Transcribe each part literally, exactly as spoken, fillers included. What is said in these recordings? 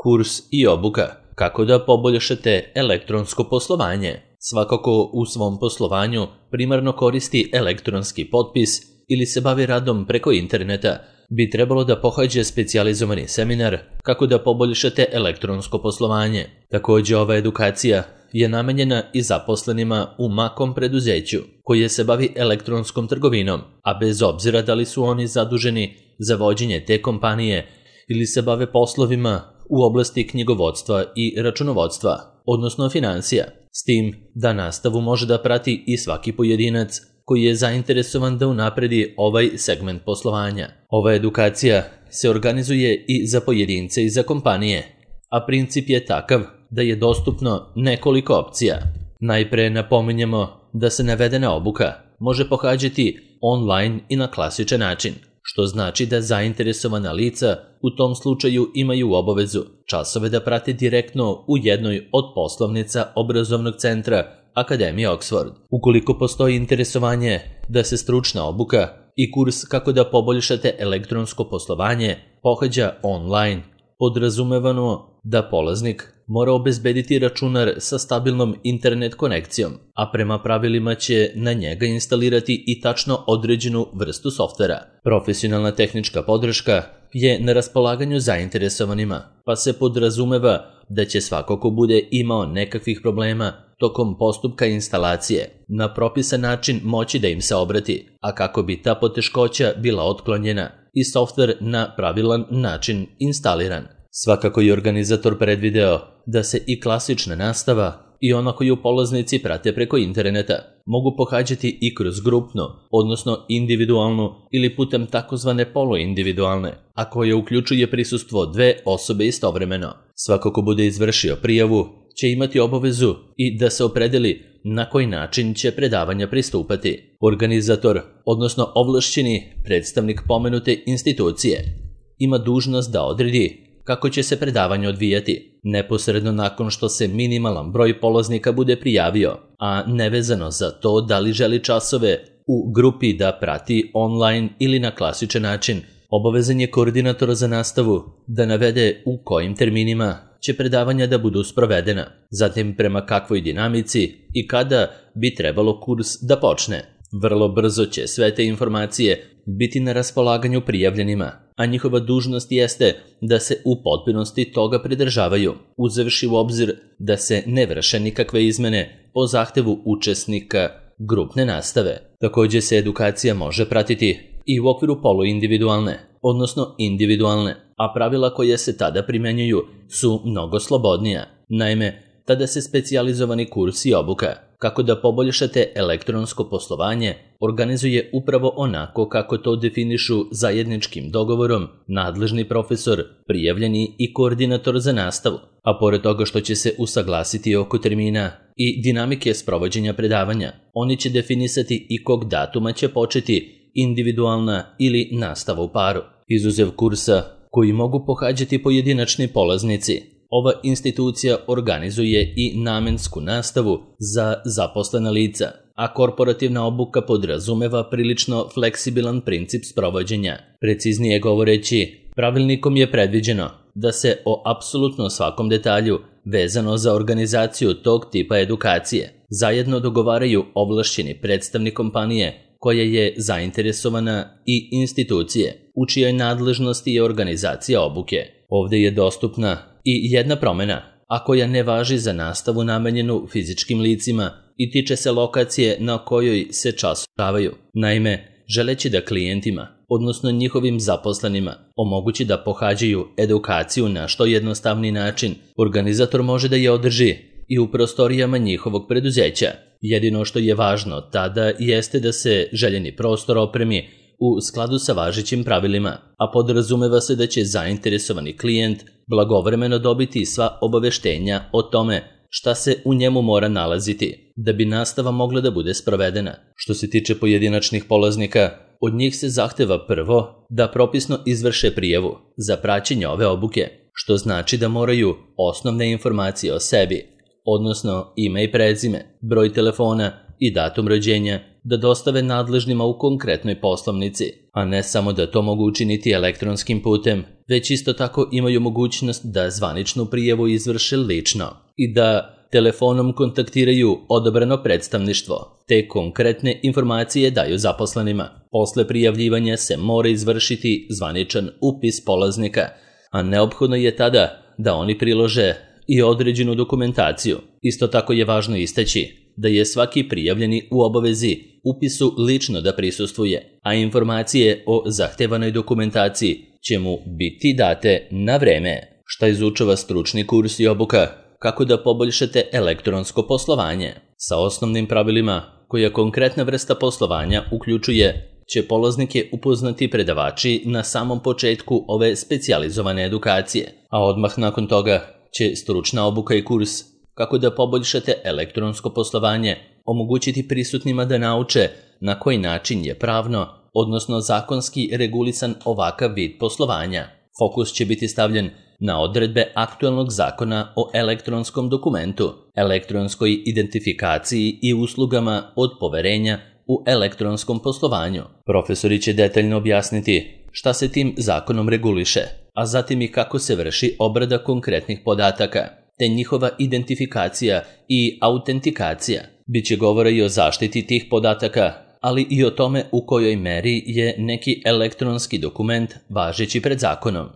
Kurs i obuka. Kako da poboljšate elektronsko poslovanje? Svakako u svom poslovanju primarno koristi elektronski potpis ili se bavi radom preko interneta, bi trebalo da pohađa specijalizovani seminar kako da poboljšate elektronsko poslovanje. Također ova edukacija je namenjena i zaposlenima u makom preduzeću koje se bavi elektronskom trgovinom, a bez obzira da li su oni zaduženi za vođenje te kompanije ili se bave poslovima u oblasti knjigovodstva i računovodstva, odnosno financija, s tim da nastavu može da prati i svaki pojedinac koji je zainteresovan da unapredi ovaj segment poslovanja. Ova edukacija se organizuje i za pojedince i za kompanije, a princip je takav da je dostupno nekoliko opcija. Najpre napominjemo da se navedena obuka može pohađati online i na klasičan način, što znači da zainteresovana lica u tom slučaju imaju obavezu časove da prate direktno u jednoj od poslovnica obrazovnog centra Akademije Oxford. Ukoliko postoji interesovanje da se stručna obuka i kurs kako da poboljšate elektronsko poslovanje pohađa online, podrazumevano da polaznik mora obezbediti računar sa stabilnom internet konekcijom, a prema pravilima će na njega instalirati i tačno određenu vrstu softvera. Profesionalna tehnička podrška je na raspolaganju zainteresovanima, pa se podrazumeva da će svako ko bude imao nekakvih problema tokom postupka instalacije na propisan način moći da im se obrati, a kako bi ta poteškoća bila otklonjena i softver na pravilan način instaliran. Svakako je organizator predvideo da se i klasična nastava i ona koju polaznici prate preko interneta mogu pohađati i kroz grupnu, odnosno individualnu ili putem takozvane poluindividualne, a koje uključuje prisustvo dve osobe istovremeno. Svako ko bude izvršio prijavu će imati obavezu i da se opredeli na koji način će predavanja pristupati. Organizator, odnosno ovlašćeni predstavnik pomenute institucije, ima dužnost da odredi kako će se predavanje odvijati, neposredno nakon što se minimalan broj polaznika bude prijavio, a nevezano za to da li želi časove u grupi da prati online ili na klasičan način. Obavezan je koordinator za nastavu da navede u kojim terminima će predavanja da budu sprovedena, zatim prema kakvoj dinamici i kada bi trebalo kurs da počne. Vrlo brzo će sve te informacije biti na raspolaganju prijavljenima, a njihova dužnost jeste da se u potpunosti toga pridržavaju, uzevši u obzir da se ne vrše nikakve izmene po zahtevu učesnika grupne nastave. Također se edukacija može pratiti i u okviru poluindividualne, odnosno individualne, a pravila koja se tada primenjuju su mnogo slobodnija. Naime, tada se specijalizovani kurs i obuka kako da poboljšate elektronsko poslovanje organizuje upravo onako kako to definišu zajedničkim dogovorom nadležni profesor, prijavljeni i koordinator za nastavu, a pored toga što će se usaglasiti oko termina i dinamike sprovođenja predavanja, oni će definisati i kog datuma će početi individualna ili nastava u paru. Izuzev kursa koji mogu pohađati pojedinačni polaznici, ova institucija organizuje i namensku nastavu za zaposlena lica, a korporativna obuka podrazumeva prilično fleksibilan princip sprovođenja. Preciznije govoreći, pravilnikom je predviđeno da se o apsolutno svakom detalju vezano za organizaciju tog tipa edukacije zajedno dogovaraju ovlašćeni predstavnik kompanije koja je zainteresovana i institucije u čijoj nadležnosti je organizacija obuke. Ovdje je dostupna i jedna promjena, a koja ne važi za nastavu namenjenu fizičkim licima i tiče se lokacije na kojoj se časovaju. Naime, želeći da klijentima, odnosno njihovim zaposlenima, omogući da pohađaju edukaciju na što jednostavni način, organizator može da je održi i u prostorijama njihovog preduzeća. Jedino što je važno tada jeste da se željeni prostor opremi u skladu sa važećim pravilima, a podrazumeva se da će zainteresovani klijent blagovremeno dobiti sva obaveštenja o tome šta se u njemu mora nalaziti da bi nastava mogla da bude sprovedena. Što se tiče pojedinačnih polaznika, od njih se zahteva prvo da propisno izvrše prijavu za praćenje ove obuke, što znači da moraju osnovne informacije o sebi, odnosno ime i prezime, broj telefona i datum rođenja, da dostave nadležnima u konkretnoj poslovnici, a ne samo da to mogu učiniti elektronskim putem, već isto tako imaju mogućnost da zvaničnu prijavu izvrše lično i da telefonom kontaktiraju odabrano predstavništvo, te konkretne informacije daju zaposlenima. Posle prijavljivanja se mora izvršiti zvaničan upis polaznika, a neophodno je tada da oni prilože i određenu dokumentaciju. Isto tako je važno istaći da je svaki prijavljeni u obavezi upisu lično da prisustvuje, a informacije o zahtevanoj dokumentaciji će mu biti date na vreme. Šta izučava stručni kurs i obuka? Kako da poboljšate elektronsko poslovanje? Sa osnovnim pravilima koja konkretna vrsta poslovanja uključuje će polaznike upoznati predavači na samom početku ove specijalizovane edukacije, a odmah nakon toga će stručna obuka i kurs kako da poboljšate elektronsko poslovanje omogućiti prisutnima da nauče na koji način je pravno, odnosno zakonski regulisan ovakav vid poslovanja. Fokus će biti stavljen na odredbe aktualnog zakona o elektronskom dokumentu, elektronskoj identifikaciji i uslugama od poverenja u elektronskom poslovanju. Profesori će detaljno objasniti šta se tim zakonom reguliše, a zatim i kako se vrši obrada konkretnih podataka, te njihova identifikacija i autentikacija. Biće govora i o zaštiti tih podataka, ali i o tome u kojoj meri je neki elektronski dokument važeći pred zakonom.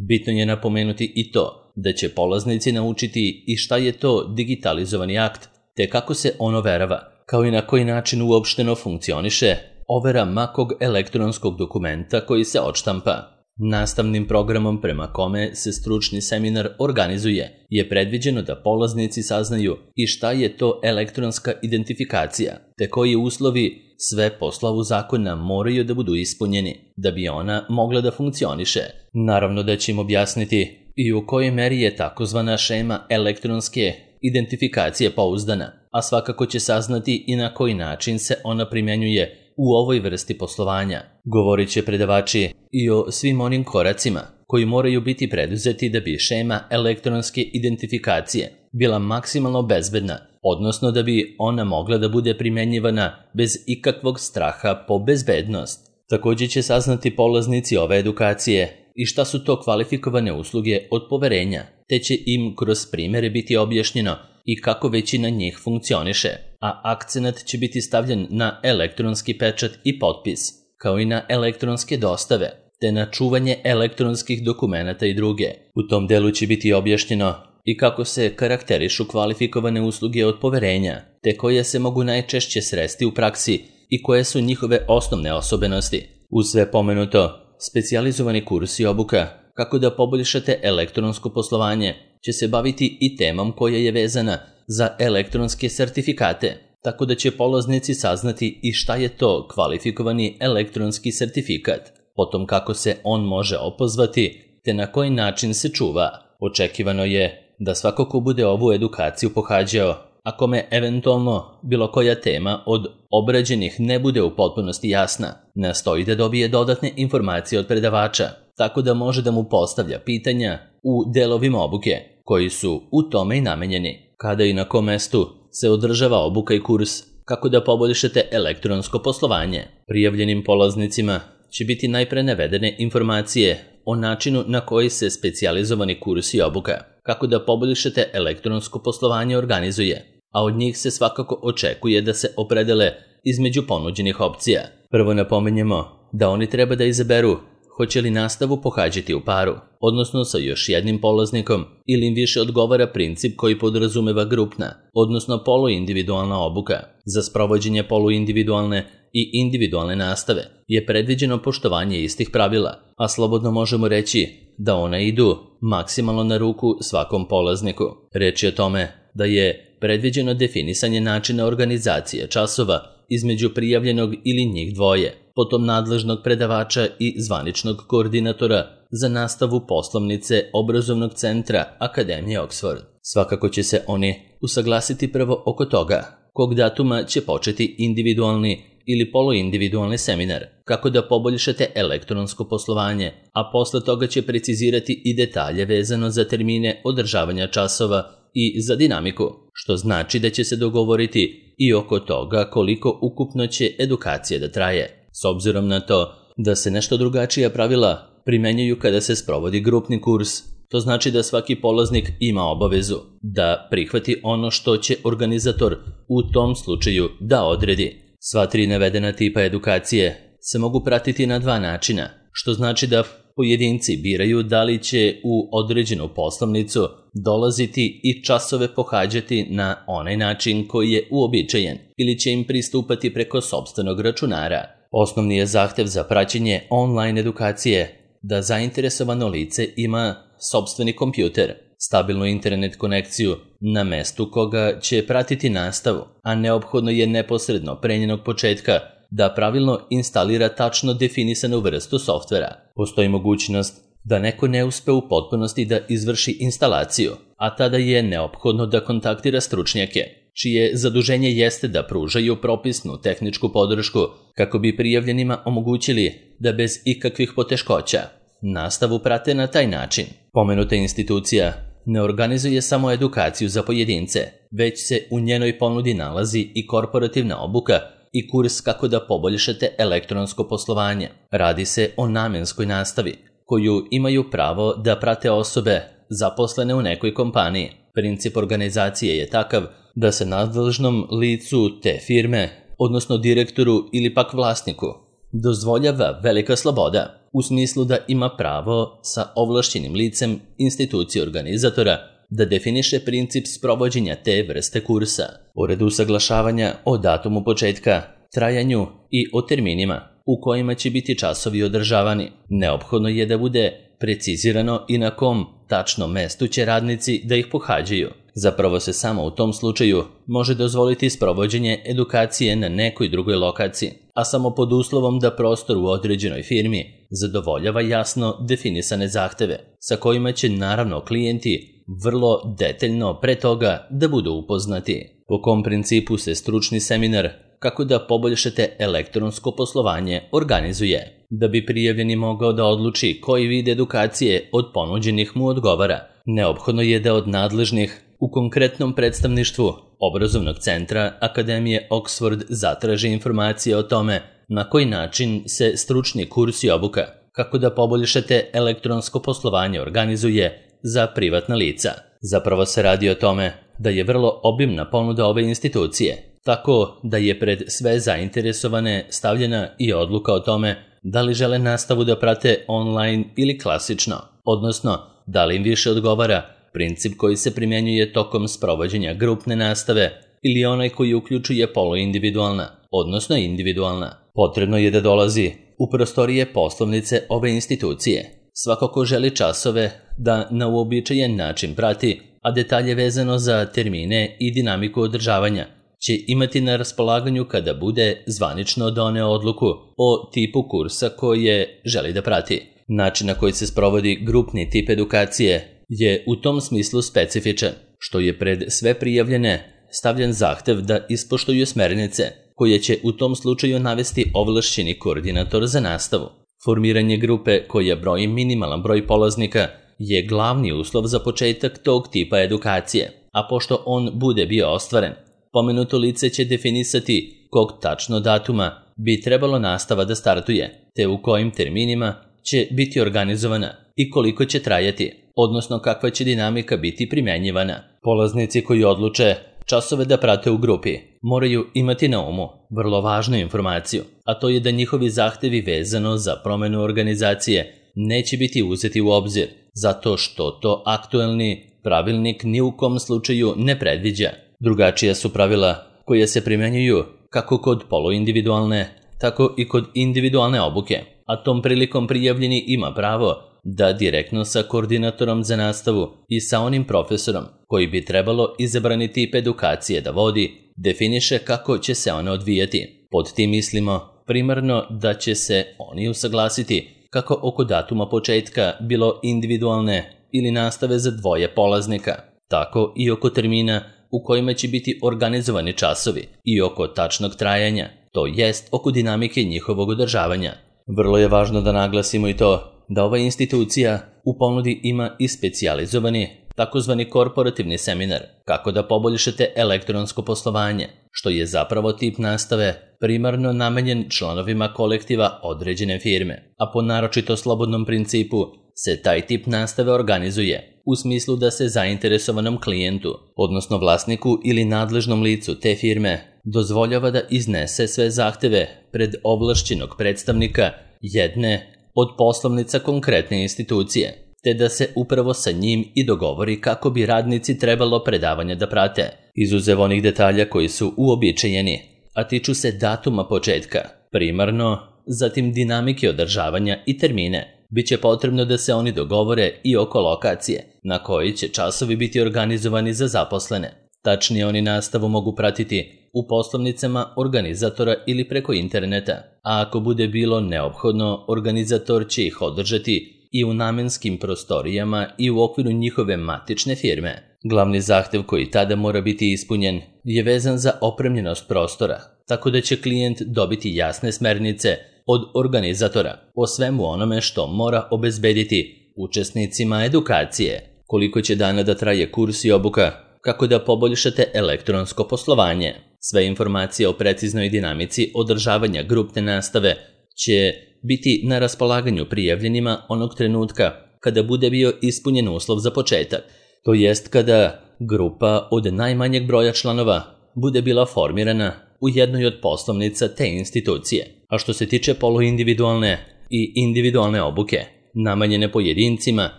Bitno je napomenuti i to da će polaznici naučiti i šta je to digitalizovani akt, te kako se on overava, kao i na koji način uopšteno funkcioniše overa makog elektronskog dokumenta koji se odštampa. Nastavnim programom prema kome se stručni seminar organizuje je predviđeno da polaznici saznaju i šta je to elektronska identifikacija, te koji uslovi sve po slovu zakona moraju da budu ispunjeni da bi ona mogla da funkcioniše. Naravno da će im objasniti i u kojoj meri je takozvana šema elektronske identifikacije pouzdana, a svakako će saznati i na koji način se ona primjenjuje u ovoj vrsti poslovanja. Govorit će predavači i o svim onim koracima koji moraju biti preduzeti da bi šema elektronske identifikacije bila maksimalno bezbedna, odnosno da bi ona mogla da bude primjenjivana bez ikakvog straha po bezbednost. Također će saznati polaznici ove edukacije i šta su to kvalifikovane usluge od poverenja, te će im kroz primjere biti objašnjeno i kako većina njih funkcioniše, a akcenat će biti stavljen na elektronski pečat i potpis, kao i na elektronske dostave, te na čuvanje elektronskih dokumenata i druge. U tom delu će biti objašnjeno i kako se karakterišu kvalifikovane usluge od poverenja, te koje se mogu najčešće sresti u praksi i koje su njihove osnovne osobenosti. Uz sve pomenuto, specijalizovani kurs i obuka kako da poboljšate elektronsko poslovanje će se baviti i temom koja je vezana za elektronske sertifikate, tako da će polaznici saznati i šta je to kvalifikovani elektronski sertifikat, potom kako se on može opozvati, te na koji način se čuva. Očekivano je da svako ko bude ovu edukaciju pohađao, a kome eventualno bilo koja tema od obrađenih ne bude u potpunosti jasna, nastoji da dobije dodatne informacije od predavača, tako da može da mu postavlja pitanja u delovima obuke, koji su u tome i namenjeni. Kada i na kom mestu se održava obuka i kurs, kako da poboljšate elektronsko poslovanje. Prijavljenim polaznicima će biti najpre navedene informacije o načinu na koji se specijalizovani kurs i obuka, kako da poboljšate elektronsko poslovanje organizuje, a od njih se svakako očekuje da se opredele između ponuđenih opcija. Prvo napominjemo da oni treba da izaberu hoće li nastavu pohađati u paru, odnosno sa još jednim polaznikom, ili im više odgovara princip koji podrazumeva grupna, odnosno poluindividualna obuka. Za sprovođenje poluindividualne i individualne nastave je predviđeno poštovanje istih pravila, a slobodno možemo reći da ona idu maksimalno na ruku svakom polazniku. Reč je o tome da je predviđeno definisanje načina organizacije časova između prijavljenog ili njih dvoje, potom nadležnog predavača i zvaničnog koordinatora za nastavu poslovnice obrazovnog centra Akademije Oxford. Svakako će se oni usaglasiti prvo oko toga kog datuma će početi individualni ili poluindividualni seminar, kako da poboljšate elektronsko poslovanje, a posle toga će precizirati i detalje vezano za termine održavanja časova i za dinamiku, što znači da će se dogovoriti i oko toga koliko ukupno će edukacija da traje, s obzirom na to da se nešto drugačija pravila primenjuju kada se sprovodi grupni kurs. To znači da svaki polaznik ima obavezu da prihvati ono što će organizator u tom slučaju da odredi. Sva tri navedena tipa edukacije se mogu pratiti na dva načina, što znači da pojedinci biraju da li će u određenu poslovnicu dolaziti i časove pohađati na onaj način koji je uobičajen ili će im pristupati preko sopstvenog računara. Osnovni je zahtev za praćenje online edukacije da zainteresovano lice ima sopstveni kompjuter, stabilnu internet konekciju na mestu koga će pratiti nastavu, a neophodno je neposredno pre njenog početka da pravilno instalira tačno definisanu vrstu softvera. Postoji mogućnost da neko ne uspe u potpunosti da izvrši instalaciju, a tada je neophodno da kontaktira stručnjake, čije zaduženje jeste da pružaju propisnu tehničku podršku kako bi prijavljenima omogućili da bez ikakvih poteškoća nastavu prate na taj način. Pomenuta institucija ne organizuje samo edukaciju za pojedince, već se u njenoj ponudi nalazi i korporativna obuka i kurs kako da poboljšate elektronsko poslovanje. Radi se o namenskoj nastavi, koju imaju pravo da prate osobe zaposlene u nekoj kompaniji. Princip organizacije je takav da se nadležnom licu te firme, odnosno direktoru ili pak vlasniku, dozvoljava velika sloboda, u smislu da ima pravo sa ovlašćenim licem institucije organizatora da definiše princip sprovođenja te vrste kursa. Pored usaglašavanja o datumu početka, trajanju i o terminima u kojima će biti časovi održavani, neophodno je da bude precizirano i na kom tačnom mestu će radnici da ih pohađaju. Zapravo se samo u tom slučaju može dozvoliti sprovođenje edukacije na nekoj drugoj lokaciji, a samo pod uslovom da prostor u određenoj firmi zadovoljava jasno definisane zahteve, sa kojima će naravno klijenti vrlo detaljno pre toga da budu upoznati. Po kom principu se stručni seminar kako da poboljšate elektronsko poslovanje organizuje. Da bi prijavljeni mogao da odluči koji vid edukacije od ponuđenih mu odgovara, neophodno je da od nadležnih u konkretnom predstavništvu obrazovnog centra Akademije Oxford zatraži informacije o tome na koji način se stručni kurs i obuka kako da poboljšate elektronsko poslovanje organizuje za privatna lica. Zapravo se radi o tome da je vrlo obimna ponuda ove institucije, tako da je pred sve zainteresovane stavljena i odluka o tome da li žele nastavu da prate online ili klasično, odnosno da li im više odgovara princip koji se primjenjuje tokom sprovođenja grupne nastave ili onaj koji uključuje poluindividualna, odnosno individualna. Potrebno je da dolazi u prostorije poslovnice ove institucije. Svako ko želi časove da na uobičajen način prati, a detalje vezano za termine i dinamiku održavanja će imati na raspolaganju kada bude zvanično doneo odluku o tipu kursa koje želi da prati. Način na koji se sprovodi grupni tip edukacije je u tom smislu specifičan, što je pred sve prijavljene stavljen zahtev da ispoštuju smernice, koje će u tom slučaju navesti ovlašćeni koordinator za nastavu. Formiranje grupe koja broji minimalan broj polaznika je glavni uslov za početak tog tipa edukacije, a pošto on bude bio ostvaren, pomenuto lice će definisati kog tačno datuma bi trebalo nastava da startuje, te u kojim terminima će biti organizovana i koliko će trajati, odnosno kakva će dinamika biti primjenjivana. Polaznici koji odluče časove da prate u grupi moraju imati na umu vrlo važnu informaciju, a to je da njihovi zahtevi vezano za promenu organizacije neće biti uzeti u obzir, zato što to aktuelni pravilnik ni u kom slučaju ne predviđa. Drugačija su pravila koje se primjenjuju kako kod poluindividualne, tako i kod individualne obuke, a tom prilikom prijavljeni ima pravo da direktno sa koordinatorom za nastavu i sa onim profesorom koji bi trebalo izabrani tip edukacije da vodi, definiše kako će se ona odvijati. Pod tim mislimo primarno da će se oni usaglasiti kako oko datuma početka bilo individualne ili nastave za dvoje polaznika, tako i oko termina u kojima će biti organizovani časovi i oko tačnog trajanja, to jest oko dinamike njihovog održavanja. Vrlo je važno da naglasimo i to da ova institucija u ponudi ima i specijalizovani takozvani korporativni seminar kako da poboljšate elektronsko poslovanje. što je zapravo tip nastave primarno namenjen članovima kolektiva određene firme, a po naročito slobodnom principu se taj tip nastave organizuje u smislu da se zainteresovanom klijentu, odnosno vlasniku ili nadležnom licu te firme, dozvoljava da iznese sve zahteve pred ovlašćenog predstavnika jedne od poslovnica konkretne institucije, te da se upravo sa njim i dogovori kako bi radnici trebalo predavanje da prate, izuzev onih detalja koji su uobičajeni, a tiču se datuma početka, primarno, zatim dinamike održavanja i termine. Biće potrebno da se oni dogovore i oko lokacije, na koji će časovi biti organizovani za zaposlene. Tačnije, oni nastavu mogu pratiti u poslovnicama organizatora ili preko interneta, a ako bude bilo neophodno, organizator će ih održati i u namenskim prostorijama i u okviru njihove matične firme. Glavni zahtev koji tada mora biti ispunjen je vezan za opremljenost prostora, tako da će klijent dobiti jasne smernice od organizatora o svemu onome što mora obezbediti učesnicima edukacije, koliko će dana da traje kurs i obuka, kako da poboljšate elektronsko poslovanje. Sve informacije o preciznoj dinamici održavanja grupne nastave će biti na raspolaganju prijavljenima onog trenutka kada bude bio ispunjen uslov za početak, to jest kada grupa od najmanjeg broja članova bude bila formirana u jednoj od poslovnica te institucije. A što se tiče poluindividualne i individualne obuke, namenjene pojedincima,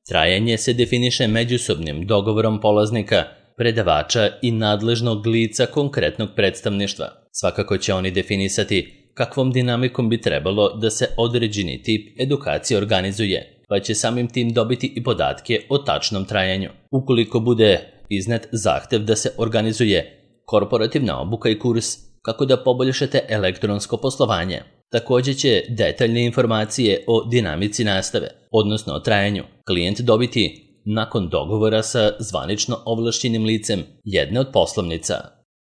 trajanje se definiše međusobnim dogovorom polaznika, predavača i nadležnog lica konkretnog predstavništva. Svakako će oni definisati kakvom dinamikom bi trebalo da se određeni tip edukacije organizuje, pa će samim tim dobiti i podatke o tačnom trajanju. Ukoliko bude iznet zahtev da se organizuje korporativna obuka i kurs kako da poboljšate elektronsko poslovanje, također će detaljne informacije o dinamici nastave, odnosno o trajanju, klijent dobiti nakon dogovora sa zvanično ovlašćenim licem jedne od poslovnica.